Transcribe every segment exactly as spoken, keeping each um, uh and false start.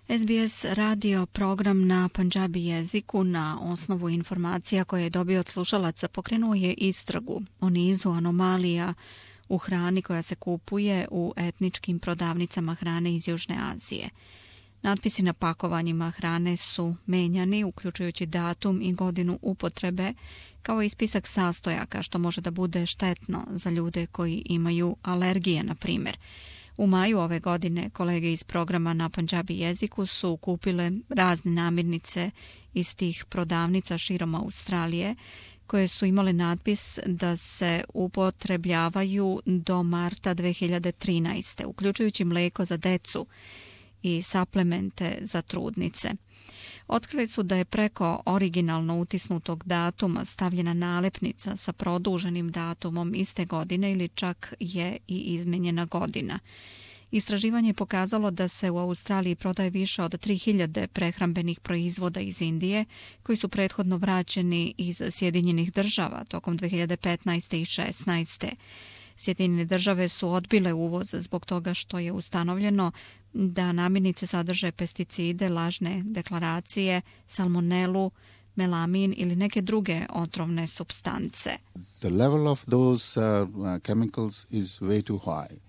S B S radio program na pandžabi jeziku na osnovu informacija koje je dobio od slušalaca pokrenuo je istragu o nizu anomalija u hrani koja se kupuje u etničkim prodavnicama hrane iz Južne Azije. Natpisi na pakovanjima hrane su menjani, uključujući datum i godinu upotrebe, kao i spisak sastojaka, što može da bude štetno za ljude koji imaju alergije, na primjer. U maju ove godine kolege iz programa na pandžabi jeziku su kupile razne namirnice iz tih prodavnica širom Australije, koje su imale natpis da se upotrebljavaju do marta dve hiljade trinaeste, uključujući mlijeko za decu i suplemente za trudnice. Otkrili su da je preko originalno utisnutog datuma stavljena nalepnica sa produženim datumom iste godine ili čak je i izmenjena godina. Istraživanje je pokazalo da se u Australiji prodaje više od tri hiljade prehrambenih proizvoda iz Indije koji su prethodno vraćeni iz Sjedinjenih država tokom dve hiljade petnaeste i šesnaeste. Sjedinjene države su odbile uvoz zbog toga što je ustanovljeno da namirnice sadrže pesticide, lažne deklaracije, salmonelu, melamin ili neke druge otrovne supstance. The level of those uh, chemicals is way too high.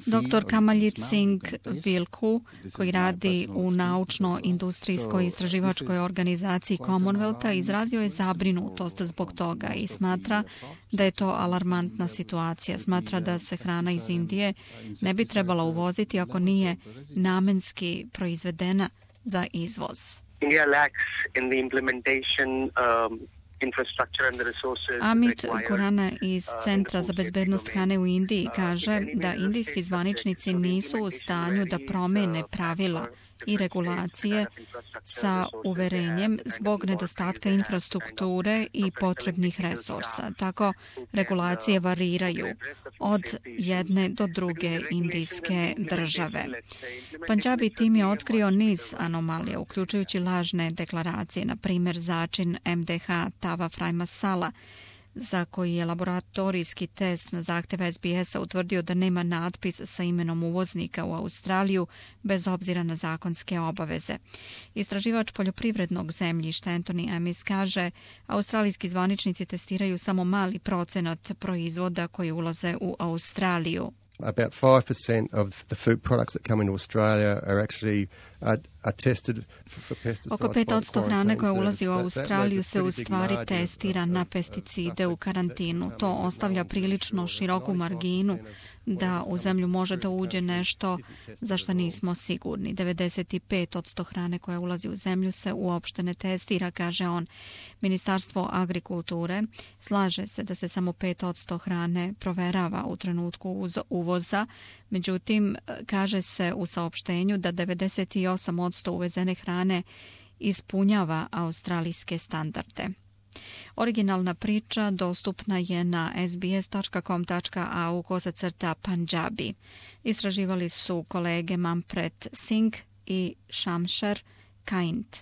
Doktor Kamaljit Singh Vilku, koji radi u naučno-industrijskoj istraživačkoj organizaciji Commonwealtha, izrazio je zabrinutost zbog toga i smatra da je to alarmantna situacija. Smatra da se hrana iz Indije ne bi trebala uvoziti ako nije namenski proizvedena za izvoz. India lacks in the implementation um, Amit Kurana iz Centra za bezbednost hrane u Indiji kaže da indijski zvaničnici nisu u stanju da promene pravila i regulacije sa uverenjem zbog nedostatka infrastrukture i potrebnih resursa. Tako regulacije variraju od jedne do druge indijske države. Pandžabi tim je otkrio niz anomalija, uključujući lažne deklaracije, na primjer začin M D H tava fry masala, za koji je laboratorijski test na zahtjev S B S-a utvrdio da nema natpis sa imenom uvoznika u Australiju bez obzira na zakonske obaveze. Istraživač poljoprivrednog zemljišta Anthony Amis kaže, australijski zvaničnici testiraju samo mali procenat proizvoda koji ulaze u Australiju. About five percent of the food products that come into Australia are actually uh, are tested for pesticides. Oko pet posto hrane koja ulazi u Australiju se u stvari testira na pesticide u karantinu. To ostavlja prilično široku marginu da u zemlju može da uđe nešto za što nismo sigurni. devedeset pet posto hrane koja ulazi u zemlju se uopšte ne testira, kaže on. Ministarstvo agrikulture slaže se da se samo pet posto hrane proverava u trenutku uz uvoza, međutim, kaže se u saopštenju da devedeset osam posto uvezene hrane ispunjava australijske standarde. Originalna priča dostupna je na s b s tačka com tačka a u kosacrta Pandžabi. Istraživali su kolege Manpreet Singh i Shamsher Kaint.